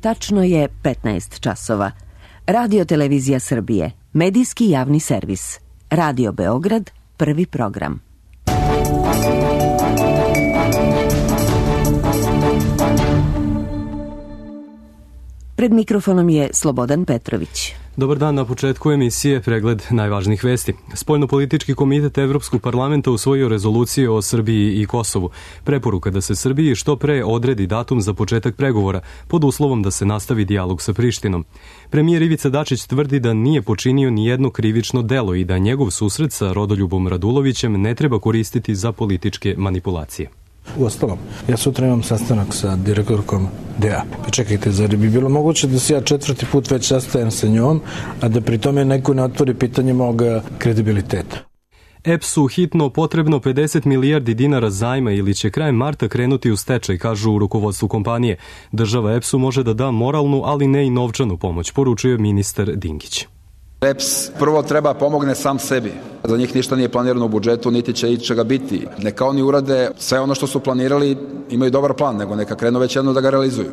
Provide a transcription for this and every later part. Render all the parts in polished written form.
Tačno je 15 časova. Radio Televizija Srbije, medijski javni servis. Radio Beograd, prvi program. Pred mikrofonom je Slobodan Petrović. Dobar dan, na početku emisije pregled najvažnijih vesti. Spoljnopolitički komitet Evropskog parlamenta usvojio rezoluciju o Srbiji i Kosovu. Preporuka da se Srbiji što pre odredi datum za početak pregovora, pod uslovom da se nastavi dijalog sa Prištinom. Premijer Ivica Dačić tvrdi da nije počinio ni jedno krivično delo i da njegov susret sa Rodoljubom Radulovićem ne treba koristiti za političke manipulacije. Uostalom, ja sutra imam sastanak sa direktorkom DEA. Pa čekajte, zar bi bilo moguće da se ja 4. put već sastajem sa njom, a da pri tome neko ne otvori pitanje mog kredibiliteta? EPS-u hitno potrebno 50 milijardi dinara zajma ili će krajem marta krenuti u stečaj, kažu u rukovodstvu kompanije. Država EPS-u može da da moralnu, ali ne i novčanu pomoć, poručuje ministar Dinkić. EPS prvo treba pomogne sam sebi. Za njih ništa nije planirano u budžetu, niti će ičega biti. Neka oni urade sve ono što su planirali, imaju dobar plan, nego neka krenu već jedno da ga realizuju.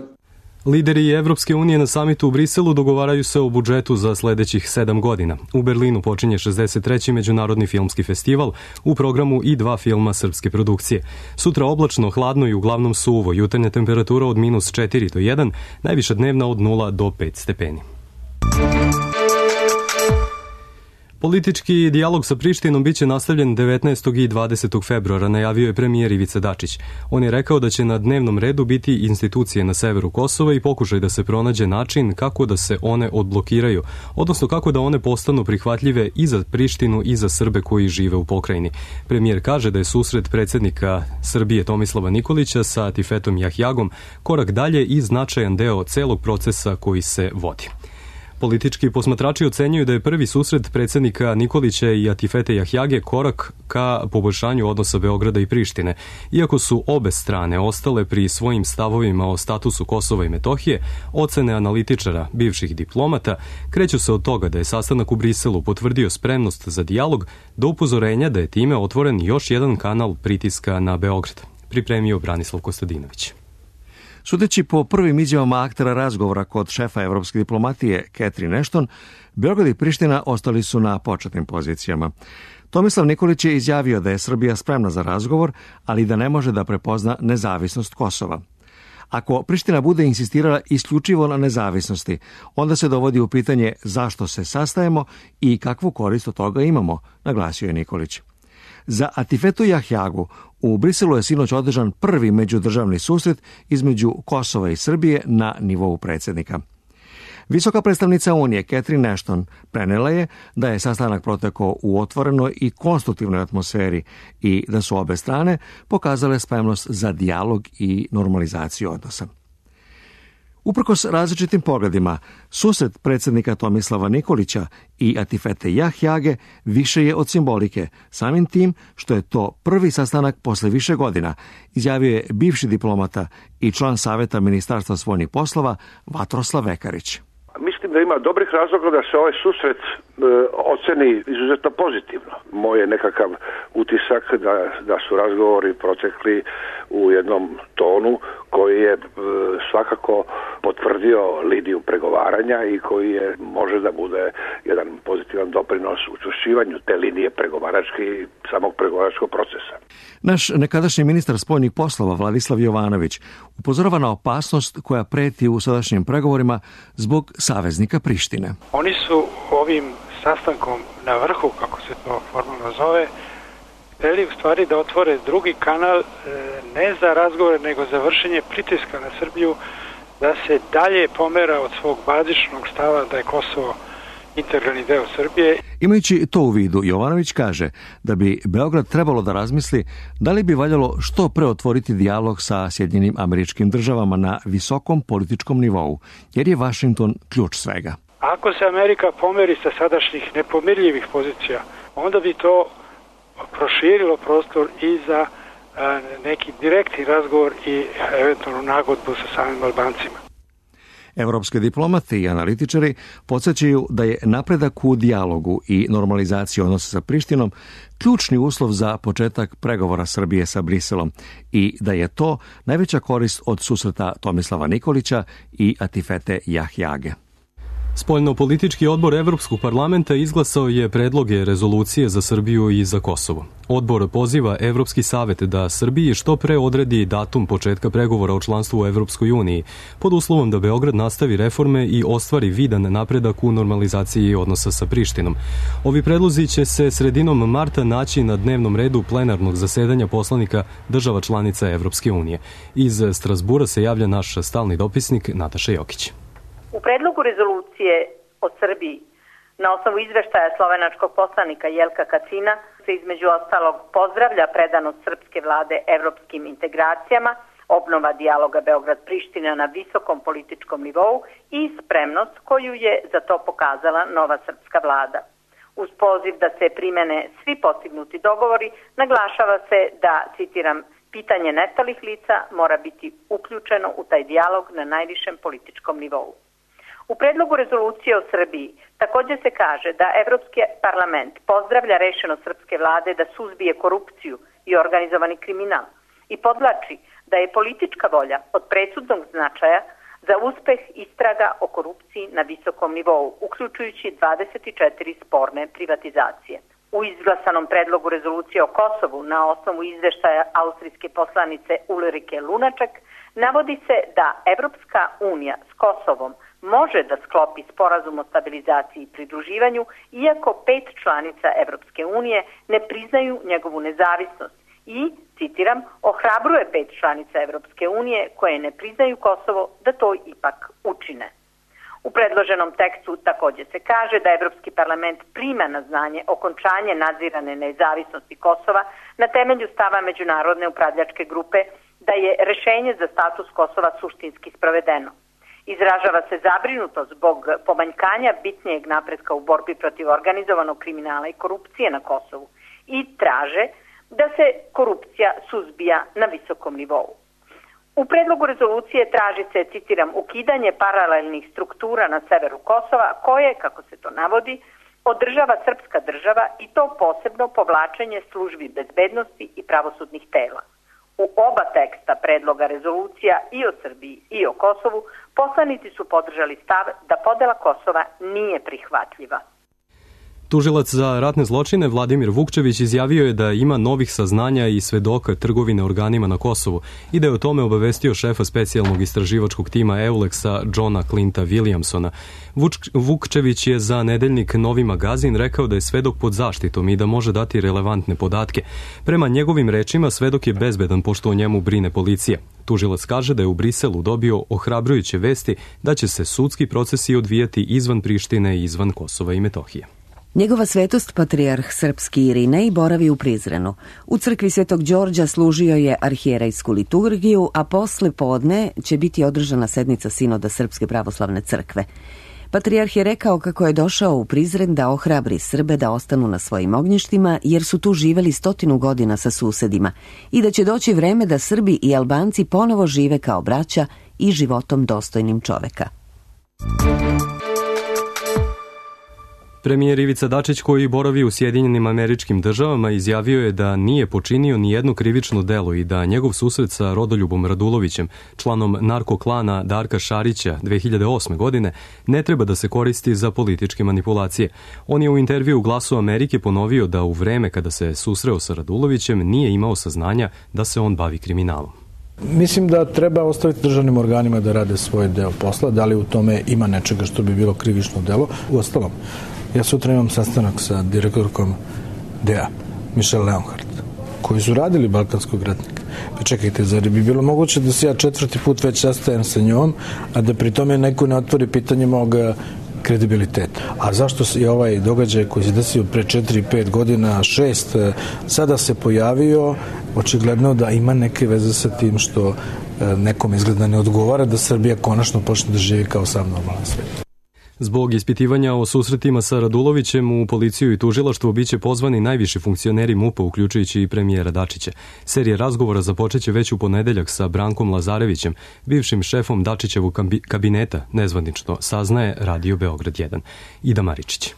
Lideri Evropske unije na samitu u Briselu dogovaraju se o budžetu za sledećih 7 godina. U Berlinu počinje 63. Međunarodni filmski festival, u programu i 2 filma srpske produkcije. Sutra oblačno, hladno i uglavnom suvo, jutarnja temperatura od -4 do 1, najviša dnevna od 0 do 5 stepeni. Politički dijalog sa Prištinom biće nastavljen 19. i 20. februara, najavio je premijer Ivica Dačić. On je rekao da će na dnevnom redu biti institucije na severu Kosova i pokušaj da se pronađe način kako da se one odblokiraju, odnosno kako da one postanu prihvatljive i za Prištinu i za Srbe koji žive u pokrajini. Premijer kaže da je susret predsjednika Srbije Tomislava Nikolića sa Atifetom Jahjagom korak dalje i značajan deo celog procesa koji se vodi. Politički posmatrači ocenjuju da je prvi susret predsjednika Nikolića i Atifete Jahjage korak ka poboljšanju odnosa Beograda i Prištine. Iako su obe strane ostale pri svojim stavovima o statusu Kosova i Metohije, ocene analitičara, bivših diplomata, kreću se od toga da je sastanak u Briselu potvrdio spremnost za dijalog do upozorenja da je time otvoren još jedan kanal pritiska na Beograd. Pripremio Branislav Kostadinović. Sudeći po prvim izjavama aktera razgovora kod šefa evropske diplomatije Catherine Ashton, Beograd i Priština ostali su na početnim pozicijama. Tomislav Nikolić je izjavio da je Srbija spremna za razgovor, ali da ne može da prepozna nezavisnost Kosova. Ako Priština bude insistirala isključivo na nezavisnosti, onda se dovodi u pitanje zašto se sastajemo i kakvu korist od toga imamo, naglasio je Nikolić. Za Atifetu Jahjagu u Briselu je sinoć održan prvi međudržavni susret između Kosova i Srbije na nivou predsjednika. Visoka predstavnica Unije Catherine Ashton prenela je da je sastanak protekao u otvorenoj i konstruktivnoj atmosferi i da su obe strane pokazale spremnost za dijalog i normalizaciju odnosa. Uprkos različitim pogledima, susret predsjednika Tomislava Nikolića i Atifete Jahjage više je od simbolike, samim tim što je to prvi sastanak posle više godina, izjavio je bivši diplomata i član Saveta Ministarstva spoljnih poslova Vatroslav Vekarić. Mislim da ima dobrih razloga da se ovaj susret oceni izuzetno pozitivno. Moj je nekakav utisak da su razgovori protekli u jednom tonu koji je svakako potvrdio liniju pregovaranja i koji može da bude jedan pozitivan doprinos učvršćivanju te linije pregovaračke i samog pregovaračkog procesa. Naš nekadašnji ministar spoljnih poslova Vladislav Jovanović upozorava na opasnost koja preti u sadašnjim pregovorima zbog saveznika Prištine. Oni su ovim sastankom na vrhu, kako se to formalno zove, hteli u stvari da otvore drugi kanal ne za razgovore, nego za vršenje pritiska na Srbiju da se dalje pomera od svog bazičnog stava da je Kosovo integralni deo Srbije. Imajući to u vidu, Jovanović kaže da bi Beograd trebalo da razmisli da li bi valjalo što pre otvoriti dijalog sa Sjedinjenim Američkim Državama na visokom političkom nivou, jer je Vašington ključ svega. Ako se Amerika pomeri sa sadašnjih nepomirljivih pozicija, onda bi to proširilo prostor i za neki direktni razgovor i eventualnu nagodbu sa samim Albancima. Evropski diplomati i analitičari podsjećaju da je napredak u dijalogu i normalizaciji odnosa sa Prištinom ključni uslov za početak pregovora Srbije sa Briselom i da je to najveća korist od susreta Tomislava Nikolića i Atifete Jahjage. Spoljno-politički odbor Evropskog parlamenta izglasao je predloge rezolucije za Srbiju i za Kosovo. Odbor poziva Evropski savet da Srbiji što pre odredi datum početka pregovora o članstvu u Evropskoj uniji, pod uslovom da Beograd nastavi reforme i ostvari vidan napredak u normalizaciji odnosa sa Prištinom. Ovi predlozi će se sredinom marta naći na dnevnom redu plenarnog zasedanja poslanika država članica Evropske unije. Iz Strasbura se javlja naš stalni dopisnik Nataša Jokić. U predlogu rezolucije o Srbiji na osnovu izveštaja slovenačkog poslanika Jelka Kacina se između ostalog pozdravlja predanost srpske vlade evropskim integracijama, obnova dijaloga Beograd-Priština na visokom političkom nivou i spremnost koju je za to pokazala nova srpska vlada. Uz poziv da se primene svi postignuti dogovori, naglašava se da, citiram, pitanje nestalih lica mora biti uključeno u taj dijalog na najvišem političkom nivou. U predlogu rezolucije o Srbiji također se kaže da Evropski parlament pozdravlja rešenost srpske vlade da suzbije korupciju i organizovani kriminal i podvlači da je politička volja od presudnog značaja za uspeh istraga o korupciji na visokom nivou, uključujući 24 sporne privatizacije. U izglasanom predlogu rezolucije o Kosovu na osnovu izveštaja austrijske poslanice Ulrike Lunaček navodi se da Evropska unija s Kosovom može da sklopi sporazum o stabilizaciji i pridruživanju, iako 5 članica Evropske unije ne priznaju njegovu nezavisnost i, citiram, ohrabruje 5 članica Evropske unije koje ne priznaju Kosovo da to ipak učine. U predloženom tekstu također se kaže da Evropski parlament prima na znanje okončanje nadzirane nezavisnosti Kosova na temelju stava Međunarodne upravljačke grupe da je rešenje za status Kosova suštinski sprovedeno. Izražava se zabrinutost zbog pomanjkanja bitnijeg napretka u borbi protiv organizovanog kriminala i korupcije na Kosovu i traže da se korupcija suzbija na visokom nivou. U predlogu rezolucije traži se, citiram, ukidanje paralelnih struktura na severu Kosova koje, kako se to navodi, održava srpska država i to posebno povlačenje službi bezbednosti i pravosudnih tela. U oba teksta predloga rezolucija i o Srbiji i o Kosovu poslanici su podržali stav da podela Kosova nije prihvatljiva. Tužilac za ratne zločine Vladimir Vukčević izjavio je da ima novih saznanja i svedoka trgovine organima na Kosovu i da je o tome obavestio šefa specijalnog istraživačkog tima EULEX-a Johna Clinta Williamsona. Vukčević je za nedeljnik Novi magazin rekao da je svedok pod zaštitom i da može dati relevantne podatke. Prema njegovim rečima, svedok je bezbedan pošto o njemu brine policija. Tužilac kaže da je u Briselu dobio ohrabrujuće vesti da će se sudski procesi odvijati izvan Prištine i izvan Kosova i Metohije. Njegova svetost, patrijarh srpski Irinej, boravi u Prizrenu. U crkvi Svetog Đorđa služio je arhijerejsku liturgiju, a posle podne će biti održana sednica sinoda Srpske pravoslavne crkve. Patrijarh je rekao kako je došao u Prizren da ohrabri Srbe da ostanu na svojim ognjištima, jer su tu živeli 100 godina sa susedima i da će doći vreme da Srbi i Albanci ponovo žive kao braća i životom dostojnim čoveka. Premijer Ivica Dačić, koji boravi u Sjedinjenim Američkim Državama, izjavio je da nije počinio ni jedno krivično delo i da njegov susret sa Rodoljubom Radulovićem, članom narkoklana Darka Šarića 2008. godine, ne treba da se koristi za političke manipulacije. On je u intervju u Glasu Amerike ponovio da u vreme kada se susreo sa Radulovićem nije imao saznanja da se on bavi kriminalom. Mislim da treba ostaviti državnim organima da rade svoj deo posla, da li u tome ima nečega što bi bilo krivično delo. Uostalom, ja sutra imam sastanak sa direktorkom DEA, Michelle Leonhardt, koji su radili Balkanskog ratnika. Pa čekajte, zar bi bilo moguće da se ja 4. put već sastajem sa njom, a da pri tome neko ne otvori pitanje mog kredibiliteta. A zašto je ovaj događaj koji se desio pre 4-5 godina, 6, sada se pojavio, očigledno da ima neke veze sa tim što nekom izgleda ne odgovara da Srbija konačno počne da živi kao sam normalan svet. Zbog ispitivanja o susretima sa Radulovićem u policiju i tužilaštvo biće pozvani najviši funkcioneri MUP-a, uključujući i premijera Dačića. Serija razgovora započeće već u ponedeljak sa Brankom Lazarevićem, bivšim šefom Dačićevog kabineta, nezvanično saznaje Radio Beograd 1. Ida Maričić.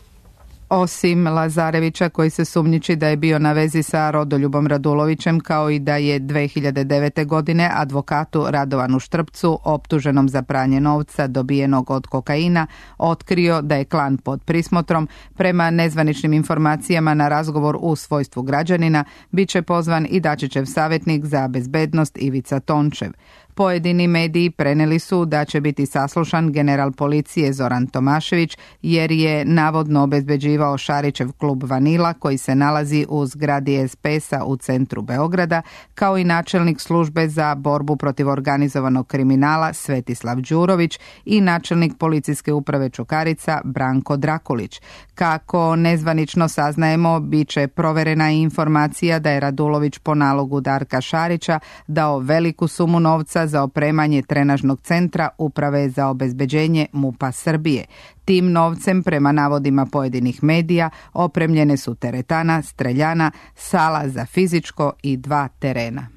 Osim Lazarevića, koji se sumnjiči da je bio na vezi sa Rodoljubom Radulovićem, kao i da je 2009. godine advokatu Radovanu Štrpcu, optuženom za pranje novca dobijenog od kokaina, otkrio da je klan pod prismotrom, prema nezvaničnim informacijama na razgovor u svojstvu građanina, bit će pozvan i Dačićev savjetnik za bezbednost Ivica Tončev. Pojedini mediji preneli su da će biti saslušan general policije Zoran Tomašević, jer je navodno obezbeđivao Šarićev klub Vanila, koji se nalazi u zgradi SPS-a u centru Beograda, kao i načelnik službe za borbu protiv organizovanog kriminala Svetislav Đurović i načelnik policijske uprave Čukarica Branko Drakulić. Kako nezvanično saznajemo, bit će proverena i informacija da je Radulović po nalogu Darka Šarića dao veliku sumu novca za opremanje trenažnog centra Uprave za obezbeđenje MUP-a Srbije. Tim novcem, prema navodima pojedinih medija, opremljene su teretana, streljana, sala za fizičko i 2 terena.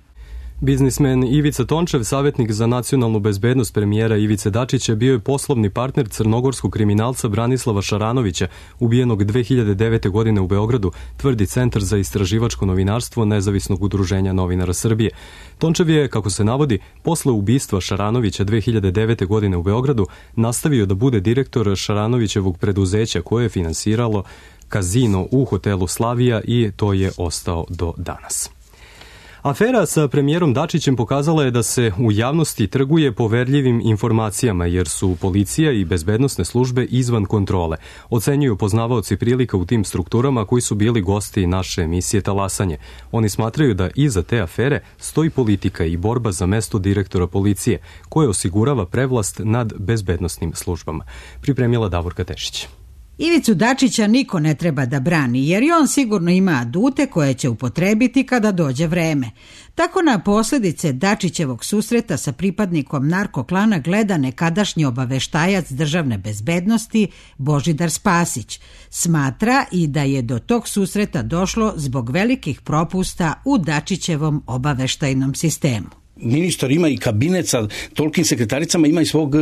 Biznismen Ivica Tončev, savjetnik za nacionalnu bezbednost premijera Ivice Dačića, bio je poslovni partner crnogorskog kriminalca Branislava Šaranovića, ubijenog 2009. godine u Beogradu, tvrdi Centar za istraživačko novinarstvo Nezavisnog udruženja novinara Srbije. Tončev je, kako se navodi, posle ubistva Šaranovića 2009. godine u Beogradu nastavio da bude direktor Šaranovićevog preduzeća koje je finansiralo kazino u hotelu Slavija i to je ostao do danas. Afera sa premijerom Dačićem pokazala je da se u javnosti trguje poverljivim informacijama, jer su policija i bezbednosne službe izvan kontrole, ocenjuju poznavaoci prilika u tim strukturama koji su bili gosti naše emisije Talasanje. Oni smatraju da iza te afere stoji politika i borba za mesto direktora policije, koje osigurava prevlast nad bezbednosnim službama. Pripremila Davorka Tešić. Ivicu Dačića niko ne treba da brani, jer i on sigurno ima adute koje će upotrebiti kada dođe vreme. Tako na posljedice Dačićevog susreta sa pripadnikom narkoklana gleda nekadašnji obaveštajac državne bezbednosti Božidar Spasić. Smatra i da je do tog susreta došlo zbog velikih propusta u Dačićevom obaveštajnom sistemu. Ministar ima i kabinet sa tolikim sekretaricama, ima i svog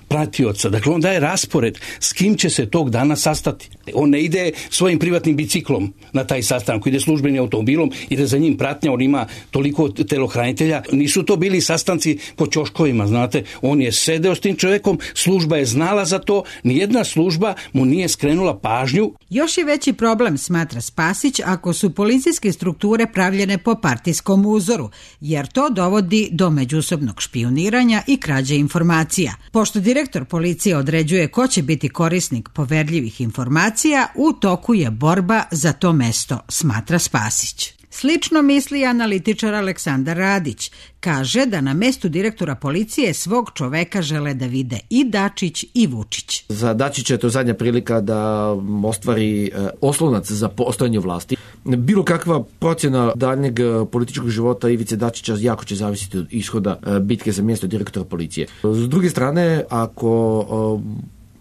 pratioca. Dakle, on daje raspored s kim će se tog dana sastati. On ne ide svojim privatnim biciklom na taj sastanak, ide službenim automobilom, ide za njim pratnja, on ima toliko telohranitelja. Nisu to bili sastanci po ćoškovima, znate. On je sedeo s tim čovjekom, služba je znala za to, nijedna služba mu nije skrenula pažnju. Još je veći problem, smatra Spasić, ako su policijske strukture pravljene po partijskom uzoru, jer to dovodi do međusobnog špijuniranja i krađe informacija. Pošto direktor policije određuje ko će biti korisnik poverljivih informacija, u toku je borba za to mesto, smatra Spasić. Slično misli analitičar Aleksandar Radić. Kaže da na mestu direktora policije svog čoveka žele da vide i Dačić i Vučić. Za Dačića je to zadnja prilika da ostvari oslonac za postojanje vlasti. Bilo kakva procjena daljnjeg političkog života Ivice Dačića jako će zavisiti od ishoda bitke za mjesto direktora policije. S druge strane, ako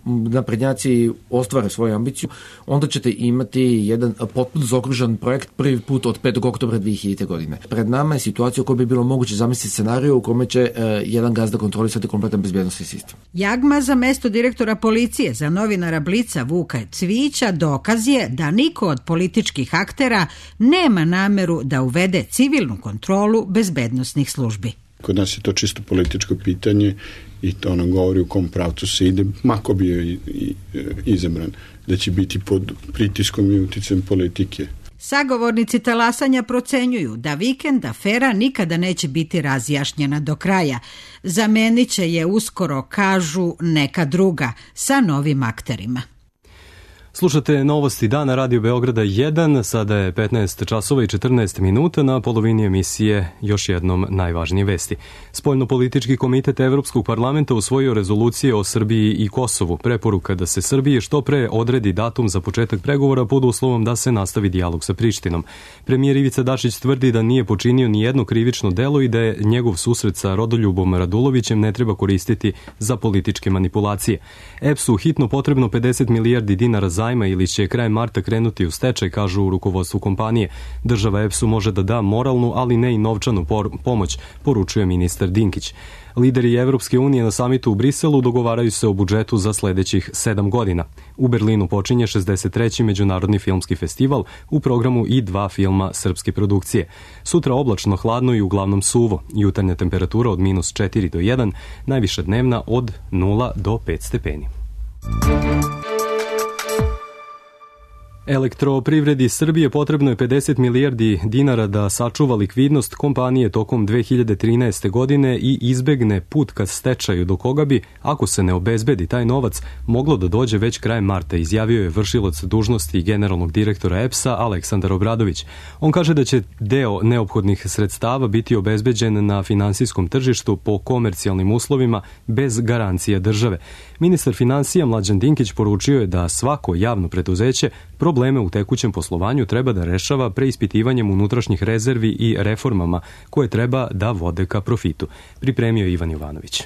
naprednjaci ostvare svoju ambiciju, onda ćete imati jedan potpuno zaokružen projekt prvi put od 5. oktobra 2000. godine. Pred nama je situacija u kojoj bi bilo moguće zamisliti scenariju u kome će jedan gazda kontrolisati kompletan bezbjednosni sistem. Jagma za mesto direktora policije za novinara Blica Vuka Cvijića dokaz je da niko od političkih aktera nema nameru da uvede civilnu kontrolu bezbednosnih službi. Kod nas je to čisto političko pitanje i to nam govori u kom pravcu se ide, mako bio i izabran, da će biti pod pritiskom i uticajem politike. Sagovornici talasanja procenjuju da vikend afera nikada neće biti razjašnjena do kraja. Zamenit će je uskoro, kažu, neka druga sa novim akterima. Slušate novosti dana Radio Beograda 1, sada je 15 časova i 14 minuta, na polovini emisije još jednom najvažnije vesti. Spoljnopolitički komitet Evropskog parlamenta usvojio rezolucije o Srbiji i Kosovu. Preporuka da se Srbiji što pre odredi datum za početak pregovora pod uslovom da se nastavi dijalog sa Prištinom. Premijer Ivica Dačić tvrdi da nije počinio ni jedno krivično delo i da je njegov susret sa Rodoljubom Radulovićem ne treba koristiti za političke manipulacije. EPS-u hitno potrebno 50 milijardi dinara zajma ili će krajem marta krenuti u stečaj, kažu u rukovodstvu kompanije. Država EPS-u može da da moralnu, ali ne i novčanu pomoć, poručuje ministar Dinkić. Lideri Evropske unije na samitu u Briselu dogovaraju se o budžetu za sledećih 7 godina. U Berlinu počinje 63. Međunarodni filmski festival, u programu i 2 filma srpske produkcije. Sutra oblačno, hladno i uglavnom suvo. Jutarnja temperatura od -4 do 1, najviša dnevna od 0 do 5 stepeni. Elektroprivredi Srbije potrebno je 50 milijardi dinara da sačuva likvidnost kompanije tokom 2013. godine i izbegne put ka stečaju, do koga bi, ako se ne obezbedi taj novac, moglo da dođe već krajem marta, izjavio je vršilac dužnosti generalnog direktora EPS-a Aleksandar Obradović. On kaže da će deo neophodnih sredstava biti obezbeđen na finansijskom tržištu po komercijalnim uslovima bez garancija države. Ministar finansija Mlađan Dinkić poručio je da svako javno preduzeće probleme u tekućem poslovanju treba da rešava preispitivanjem unutrašnjih rezervi i reformama koje treba da vode ka profitu. Pripremio Ivan Jovanović.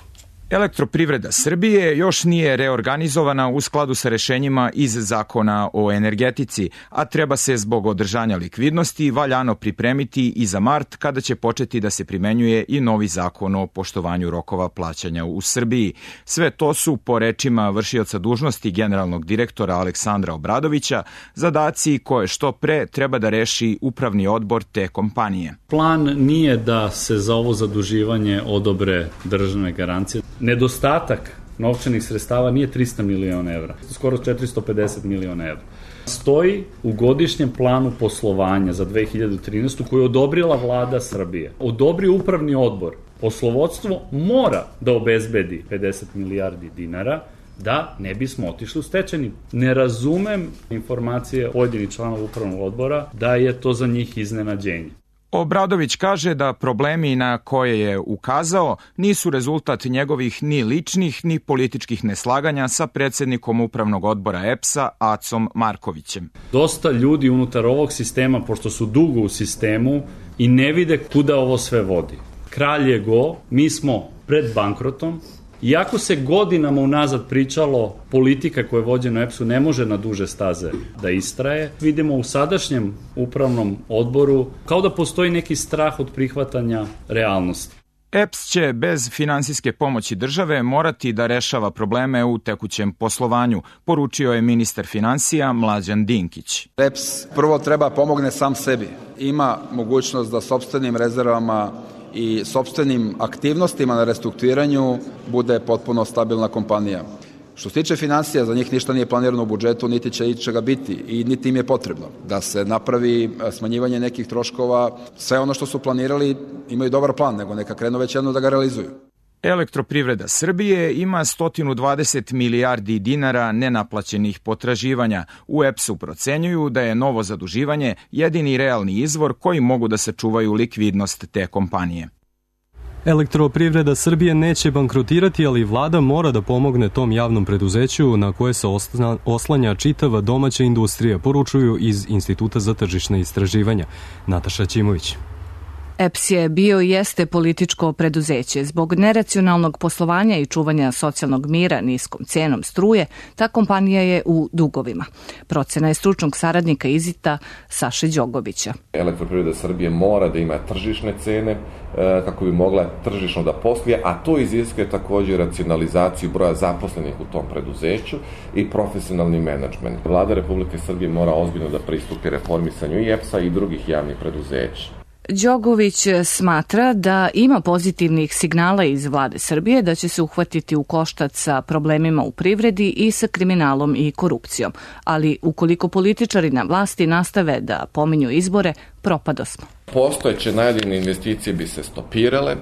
Elektroprivreda Srbije još nije reorganizovana u skladu sa rešenjima iz Zakona o energetici, a treba se zbog održanja likvidnosti valjano pripremiti i za mart, kada će početi da se primenjuje i novi zakon o poštovanju rokova plaćanja u Srbiji. Sve to su, po rečima vršioca dužnosti generalnog direktora Aleksandra Obradovića, zadaci koje što pre treba da reši upravni odbor te kompanije. Plan nije da se za ovo zaduživanje odobre državne garancije. Nedostatak novčanih sredstava nije 300 miliona evra, skoro 450 miliona evra. Stoji u godišnjem planu poslovanja za 2013. koju je odobrila vlada Srbije. Odobrio upravni odbor. Poslovodstvo mora da obezbedi 50 milijardi dinara da ne bismo otišli u stečajni. Ne razumem informacije pojedinih članova upravnog odbora da je to za njih iznenađenje. Obradović kaže da problemi na koje je ukazao nisu rezultat njegovih ni ličnih ni političkih neslaganja sa predsednikom upravnog odbora EPS-a Acom Markovićem. Dosta ljudi unutar ovog sistema, pošto su dugo u sistemu i ne vide kuda ovo sve vodi. Kralj je go, mi smo pred bankrotom. Iako se godinama unazad pričalo, politika koja je vođena u EPS-u ne može na duže staze da istraje, vidimo u sadašnjem upravnom odboru kao da postoji neki strah od prihvatanja realnosti. EPS će bez finansijske pomoći države morati da rešava probleme u tekućem poslovanju, poručio je ministar finansija Mlađan Dinkić. EPS prvo treba pomogne sam sebi. Ima mogućnost da sopstvenim rezervama i sopstvenim aktivnostima na restrukturiranju bude potpuno stabilna kompanija. Što se tiče finansija, za njih ništa nije planirano u budžetu, niti će ičega biti i niti im je potrebno. Da se napravi smanjivanje nekih troškova, sve ono što su planirali imaju dobar plan, nego neka krenu već jedno da ga realizuju. Elektroprivreda Srbije ima 120 milijardi dinara nenaplaćenih potraživanja. U EPS-u procenjuju da je novo zaduživanje jedini realni izvor koji mogu da sačuvaju likvidnost te kompanije. Elektroprivreda Srbije neće bankrotirati, ali vlada mora da pomogne tom javnom preduzeću na koje se oslanja čitava domaća industrija, poručuju iz Instituta za tržišne istraživanja. Nataša Ćimović. EPS je bio i jeste političko preduzeće. Zbog neracionalnog poslovanja i čuvanja socijalnog mira niskom cenom struje, ta kompanija je u dugovima. Procena je stručnog saradnika IZIT-a Saše Đogovića. Elektroprivreda Srbije mora da ima tržišne cene kako bi mogla tržišno da posluje, a to iziskuje takođe racionalizaciju broja zaposlenih u tom preduzeću i profesionalni menadžment. Vlada Republike Srbije mora ozbiljno da pristupi reformisanju i EPS-a i drugih javnih preduzeća. Đogović smatra da ima pozitivnih signala iz vlade Srbije da će se uhvatiti u koštac sa problemima u privredi i sa kriminalom i korupcijom. Ali ukoliko političari na vlasti nastave da pominju izbore, propadosmo. Postojeće najavljene investicije bi se stopirale,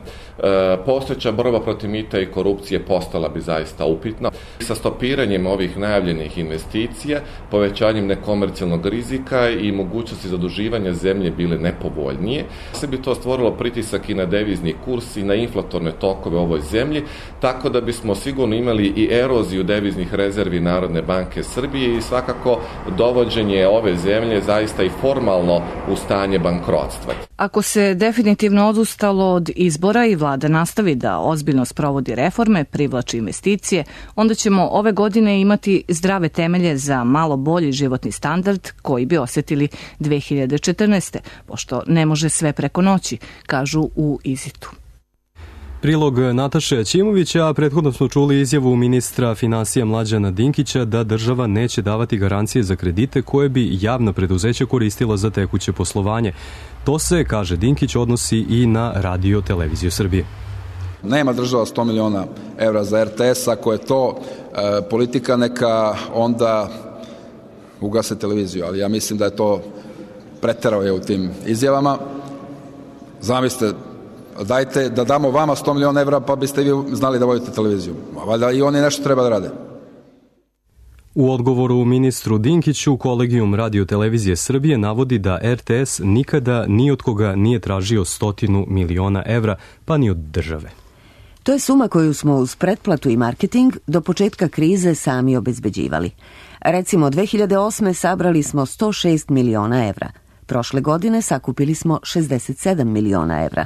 postojeća borba protiv mita i korupcije postala bi zaista upitna. Sa stopiranjem ovih najavljenih investicija, povećanjem nekomercijalnog rizika i mogućnosti zaduživanja zemlje bile nepovoljnije, se bi to stvorilo pritisak i na devizni kurs i na inflatorne tokove u ovoj zemlji, tako da bismo sigurno imali i eroziju deviznih rezervi Narodne banke Srbije i svakako dovođenje ove zemlje zaista i formalno u stanje bankrotstva. Ako se definitivno odustalo od izbora i vlada nastavi da ozbiljno sprovodi reforme, privlači investicije, onda ćemo ove godine imati zdrave temelje za malo bolji životni standard koji bi osjetili 2014. pošto ne može sve preko noći, kažu u Izitu. Prilog Nataše Ćimovića, a prethodno smo čuli izjavu ministra finansija Mlađana Dinkića da država neće davati garancije za kredite koje bi javna preduzeća koristila za tekuće poslovanje. To se, kaže Dinkić, odnosi i na Radio Televiziju Srbije. Nema država 100 miliona evra za RTS, ako je to politika neka onda ugase televiziju, ali ja mislim da je to preterao je u tim izjavama. Zamislite, dajte da damo vama 100 miliona evra pa biste vi znali da vodite televiziju. Valjda i oni nešto treba da rade. U odgovoru ministru Dinkiću, Kolegijum Radio Televizije Srbije navodi da RTS nikada ni od koga nije tražio 100 miliona evra, pa ni od države. To je suma koju smo uz pretplatu i marketing do početka krize sami obezbeđivali. Recimo, 2008. sabrali smo 106 miliona evra. Prošle godine sakupili smo 67 miliona evra.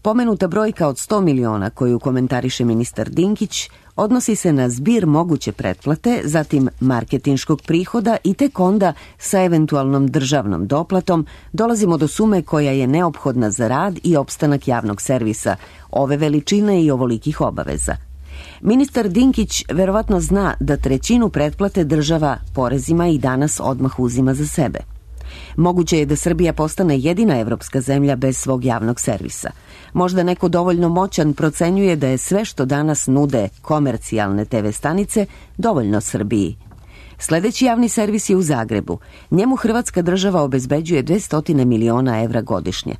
Pomenuta brojka od 100 miliona koju komentariše ministar Dinkić odnosi se na zbir moguće pretplate, zatim marketinškog prihoda i tek onda sa eventualnom državnom doplatom dolazimo do sume koja je neophodna za rad i opstanak javnog servisa, ove veličine i ovolikih obaveza. Ministar Dinkić verovatno zna da trećinu pretplate država porezima i danas odmah uzima za sebe. Moguće je da Srbija postane jedina evropska zemlja bez svog javnog servisa. Možda neko dovoljno moćan procenjuje da je sve što danas nude komercijalne TV stanice dovoljno Srbiji. Sledeći javni servis je u Zagrebu. Njemu Hrvatska država obezbeđuje 200 miliona evra godišnje.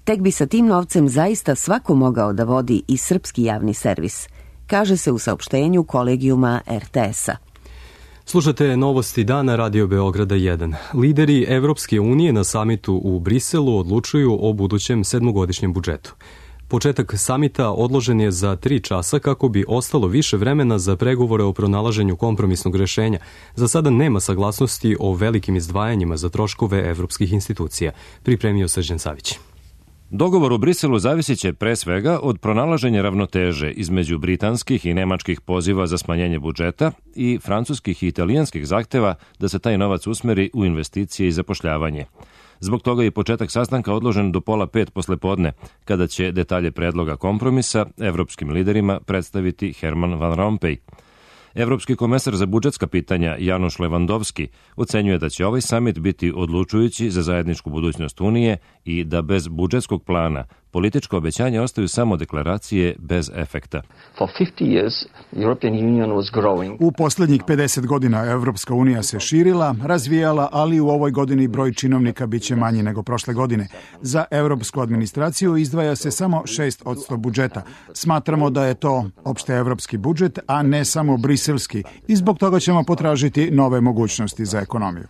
Tek bi sa tim novcem zaista svako mogao da vodi i srpski javni servis, kaže se u saopštenju Kolegijuma RTS-a. Slušate novosti dana Radio Beograda 1. Lideri Evropske unije na samitu u Briselu odlučuju o budućem 7-godišnjem budžetu. Početak samita odložen je za 3 časa kako bi ostalo više vremena za pregovore o pronalaženju kompromisnog rešenja. Za sada nema saglasnosti o velikim izdvajanjima za troškove evropskih institucija, pripremio Srđan Savić. Dogovor u Briselu zavisit će pre svega od pronalaženja ravnoteže između britanskih i nemačkih poziva za smanjenje budžeta i francuskih i italijanskih zahteva da se taj novac usmeri u investicije i zapošljavanje. Zbog toga je početak sastanka odložen do 4:30 poslepodne, kada će detalje predloga kompromisa evropskim liderima predstaviti Herman Van Rompuy. Evropski komesar za budžetska pitanja Januš Levandovski ocenjuje da će ovaj samit biti odlučujući za zajedničku budućnost Unije i da bez budžetskog plana političko obećanje ostaju samo deklaracije bez efekta. U poslednjih 50 godina Evropska unija se širila, razvijala, ali u ovoj godini broj činovnika biće manji nego prošle godine. Za evropsku administraciju izdvaja se samo 6% budžeta. Smatramo da je to opšte evropski budžet, a ne samo briselski, i zbog toga ćemo potražiti nove mogućnosti za ekonomiju.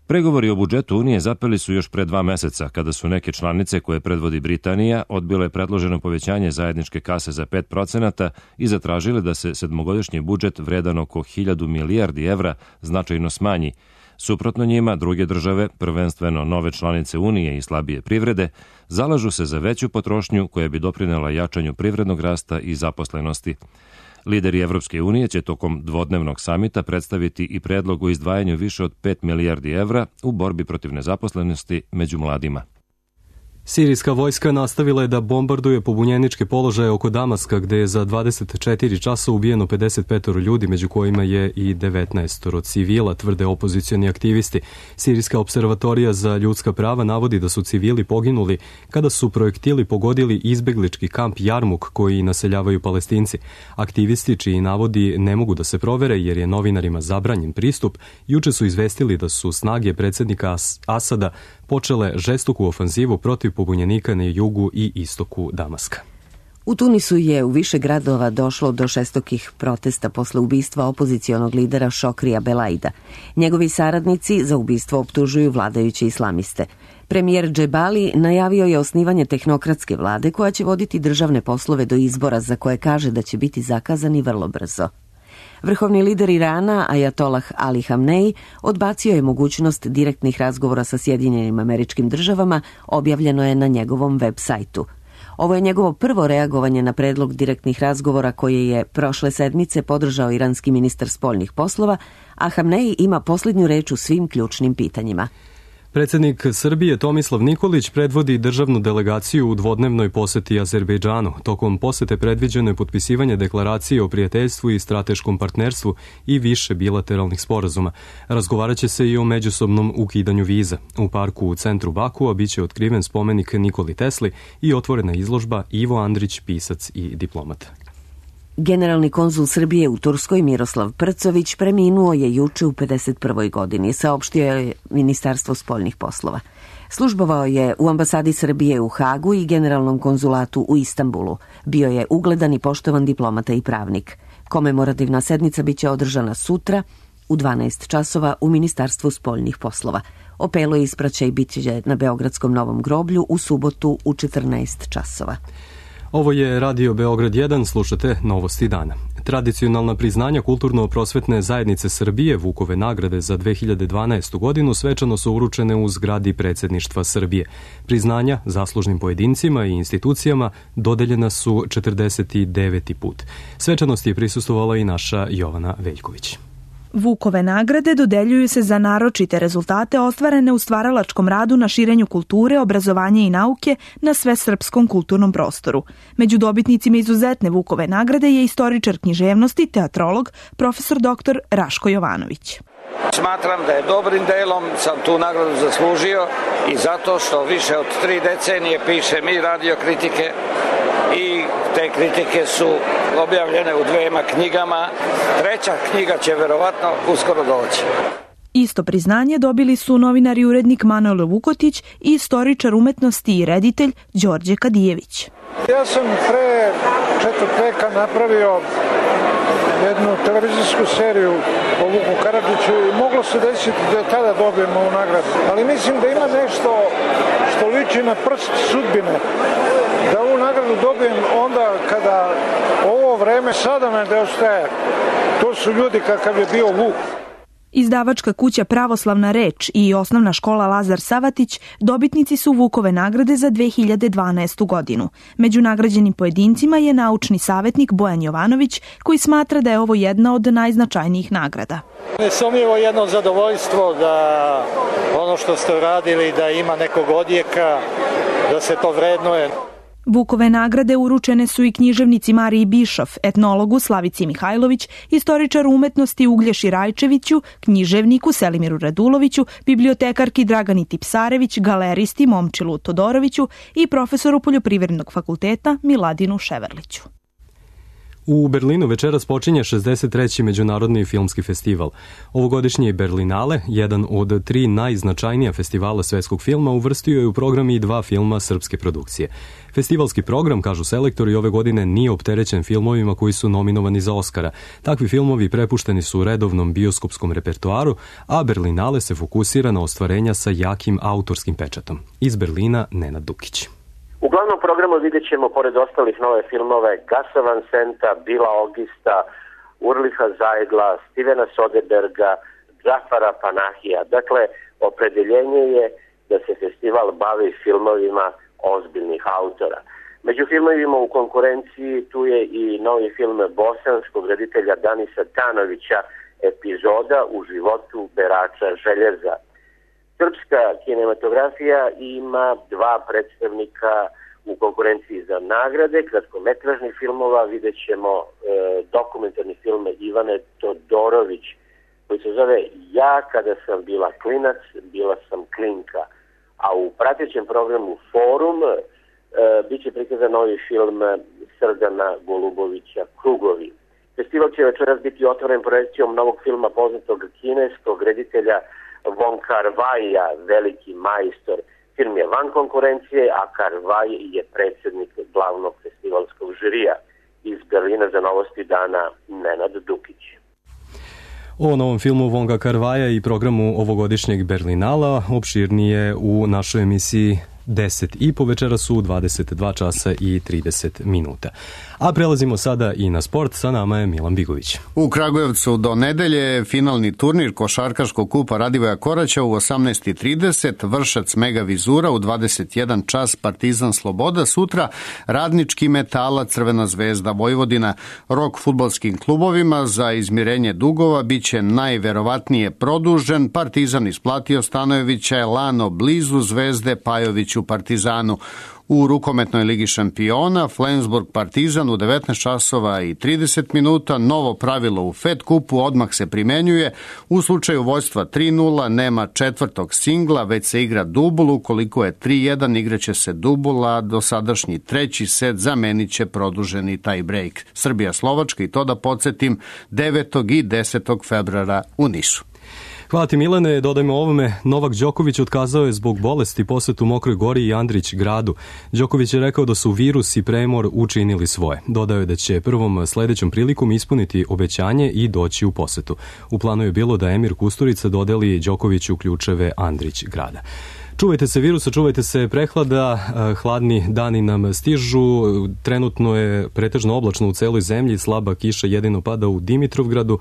Pregovori o budžetu Unije zapeli su još pre 2 meseca, kada su neke članice koje predvodi Britanija odbile predloženo povećanje zajedničke kase za 5% i zatražile da se 7-godišnji budžet vredan oko 1000 milijardi evra značajno smanji. Suprotno njima, druge države, prvenstveno nove članice Unije i slabije privrede, zalažu se za veću potrošnju koja bi doprinela jačanju privrednog rasta i zaposlenosti. Lideri Evropske unije će tokom dvodnevnog samita predstaviti i predlog o izdvajanju više od 5 milijardi evra u borbi protiv nezaposlenosti među mladima. Sirijska vojska nastavila je da bombarduje pobunjeničke položaje oko Damaska, gde je za 24 časa ubijeno 55 ljudi, među kojima je i 19 civila, tvrde opozicioni aktivisti. Sirijska observatorija za ljudska prava navodi da su civili poginuli kada su projektili pogodili izbeglički kamp Jarmuk koji naseljavaju Palestinci. Aktivisti, čiji navodi ne mogu da se provere jer je novinarima zabranjen pristup, juče su izvestili da su snage predsjednika Asada počele žestoku ofanzivu protiv pobunjenika na jugu i istoku Damaska. U Tunisu je u više gradova došlo do žestokih protesta posle ubistva opozicionog lidera Šokrija Belaida. Njegovi saradnici za ubistvo optužuju vladajuće islamiste. Premijer Džebali najavio je osnivanje tehnokratske vlade koja će voditi državne poslove do izbora za koje kaže da će biti zakazani vrlo brzo. Vrhovni lider Irana, Ajatolah Ali Hamnej, odbacio je mogućnost direktnih razgovora sa Sjedinjenim Američkim Državama, objavljeno je na njegovom web sajtu. Ovo je njegovo prvo reagovanje na predlog direktnih razgovora koje je prošle sedmice podržao iranski ministar spoljnih poslova, a Hamnej ima posljednju reč u svim ključnim pitanjima. Predsjednik Srbije Tomislav Nikolić predvodi državnu delegaciju u dvodnevnoj poseti Azerbejdžanu. Tokom posete predviđeno je potpisivanje deklaracije o prijateljstvu i strateškom partnerstvu i više bilateralnih sporazuma. Razgovarat će se i o međusobnom ukidanju viza. U parku u centru Bakua biće otkriven spomenik Nikoli Tesli i otvorena izložba Ivo Andrić, pisac i diplomat. Generalni konzul Srbije u Turskoj Miroslav Prcović preminuo je juče u 51. godini, saopštio je Ministarstvo spoljnih poslova. Službovao je u ambasadi Srbije u Hagu i generalnom konzulatu u Istanbulu. Bio je ugledan i poštovan diplomata i pravnik. Komemorativna sednica biće održana sutra u 12 časova u Ministarstvu spoljnih poslova. Opelo i ispraćaj bit će na Beogradskom Novom groblju u subotu u 14 časova. Ovo je Radio Beograd 1, slušate Novosti dana. Tradicionalna priznanja Kulturno-prosvetne zajednice Srbije, Vukove nagrade za 2012. godinu, svečano su uručene u zgradi predsjedništva Srbije. Priznanja zaslužnim pojedincima i institucijama dodeljena su 49. put. Svečanosti je prisustvovala i naša Jovana Veljković. Vukove nagrade dodeljuju se za naročite rezultate ostvarene u stvaralačkom radu na širenju kulture, obrazovanja i nauke na svesrpskom kulturnom prostoru. Među dobitnicima izuzetne Vukove nagrade je istoričar književnosti, teatrolog, profesor dr. Raško Jovanović. Smatram da je dobrim delom sam tu nagradu zaslužio i zato što više od 3 decenije pišem i radio kritike i te kritike su objavljene u 2 knjigama. 3. knjiga će verovatno uskoro doći. Isto priznanje dobili su novinar i urednik Manojlo Vukotić i istoričar umetnosti i reditelj Đorđe Kadijević. Ja sam pre 4. veka napravio jednu televizijsku seriju o Vuku Karadžiću i moglo se desiti da tada dobijemo ovu nagradu. Ali mislim da ima nešto što liči na prst sudbine. Da ovu nagradu dobijem onda kada ovo vreme sada me nedostaje. To su ljudi kakav je bio Vuk. Izdavačka kuća Pravoslavna reč i osnovna škola Lazar Savatić dobitnici su Vukove nagrade za 2012. godinu. Među nagrađenim pojedincima je naučni savjetnik Bojan Jovanović, koji smatra da je ovo jedna od najznačajnijih nagrada. Nesumnjivo jedno zadovoljstvo da ono što ste uradili da ima nekog odjeka, da se to vrednuje. Vukove nagrade uručene su i književnici Mariji Bišov, etnologu Slavici Mihajlović, istoričaru umetnosti Uglješi Rajčeviću, književniku Selimiru Raduloviću, bibliotekarki Dragani Tipsarević, galeristi Momčilu Todoroviću i profesoru Poljoprivrednog fakulteta Miladinu Ševerliću. U Berlinu večeras počinje 63. Međunarodni filmski festival. Ovogodišnji Berlinale, jedan od 3 najznačajnija festivala svetskog filma, uvrstio je u program i 2 filma srpske produkcije. Festivalski program, kažu selektori, ove godine nije opterećen filmovima koji su nominovani za Oskara. Takvi filmovi prepušteni su u redovnom bioskopskom repertoaru, a Berlinale se fokusira na ostvarenja sa jakim autorskim pečatom. Iz Berlina Nenad Dukić. U glavnom programu vidjet ćemo, pored ostalih, nove filmove Gasa Van Senta, Bila Ogista, Urliha Zajdla, Stevena Soderberga, Džafara Panahija. Dakle, opredeljenje je da se festival bavi filmovima ozbiljnih autora. Među filmovima u konkurenciji tu je i novi film bosanskog reditelja Danisa Tanovića, Epizoda u životu berača željeza. Srpska kinematografija ima 2 predstavnika u konkurenciji za nagrade, kratkometražnih filmova. Vidjet ćemo dokumentarni film Ivane Todorović koji se zove Ja kada sam bila klinac, bila sam klinka. A u pratećem programu Forum bit će prikazan novi film Srdana Golubovića Krugovi. Festival će večeras biti otvoren projekcijom novog filma poznatog kineskog reditelja Wong Kar-waja, Veliki majstor. Film je van konkurencije, a Kar-waj je predsjednik glavnog festivalskog žirija. Iz Berlina za Novosti dana Nenad Dukić. O novom filmu Wonga Kar-waja i programu ovogodišnjeg Berlinala opširnije u našoj emisiji 10 i po večeras u 22 časa i 30 minuta. A prelazimo sada i na sport, sa nama je Milan Bigović. U Kragujevcu do nedelje finalni turnir košarkaškog kupa Radivoja Koraća u 18:30, Vršac Mega Vizura u 21 čas, Partizan Sloboda, sutra Radnički Metala, Crvena zvezda Vojvodina. Rok fudbalskim klubovima za izmirenje dugova biće najverovatnije produžen. Partizan isplatio Stanojevića, Elano blizu Zvezde, Pajović u Partizanu. U rukometnoj ligi šampiona Flensburg Partizan u 19 časova i 30 minuta. Novo pravilo u Fed kupu odmah se primenjuje. U slučaju vođstva 3:0 nema četvrtog singla, već se igra dubul. Ukoliko je 3:1 igraće se dubul, a dosadašnji treći set zamenit će produženi tie break. Srbija-Slovačka, i to da podsjetim, 9. i 10. februara u Nišu. Hvala ti, Milane. Dodajmo ovome, Novak Đoković otkazao je zbog bolesti posetu Mokroj Gori i Andrić gradu. Đoković je rekao da su virus i premor učinili svoje. Dodao je da će prvom sledećom prilikom ispuniti obećanje i doći u posetu. U planu je bilo da Emir Kusturica dodeli Đokoviću ključeve Andrić grada. Čuvajte se virusa, čuvajte se prehlada, hladni dani nam stižu, trenutno je pretežno oblačno u celoj zemlji, slaba kiša jedino pada u Dimitrovgradu.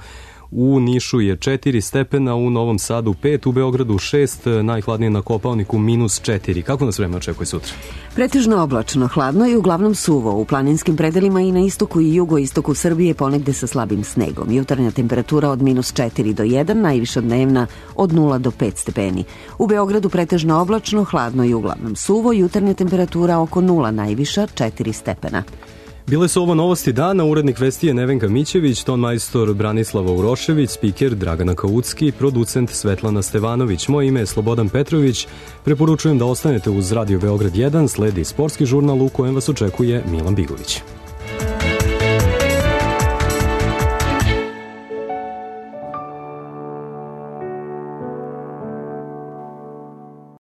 U Nišu je 4 stepena, u Novom Sadu 5, u Beogradu 6, najhladnije na Kopaoniku -4. Kako nas vreme očekuje sutra? Pretežno oblačno, hladno i uglavnom suvo. U planinskim predelima i na istoku i jugoistoku Srbije ponegde sa slabim snegom. Jutarnja temperatura od -4 do 1, najviša dnevna od 0 do 5 stepeni. U Beogradu pretežno oblačno, hladno i uglavnom suvo. Jutarnja temperatura oko 0, najviša 4 stepena. Bile su ovo novosti dana, urednik vesti je Nevenka Mićević, tonmajstor Branislava Urošević, spiker Dragana Kaucki, producent Svetlana Stevanović. Moje ime je Slobodan Petrović. Preporučujem da ostanete uz Radio Beograd 1, sledi sportski žurnal u kojem vas očekuje Milan Bigović.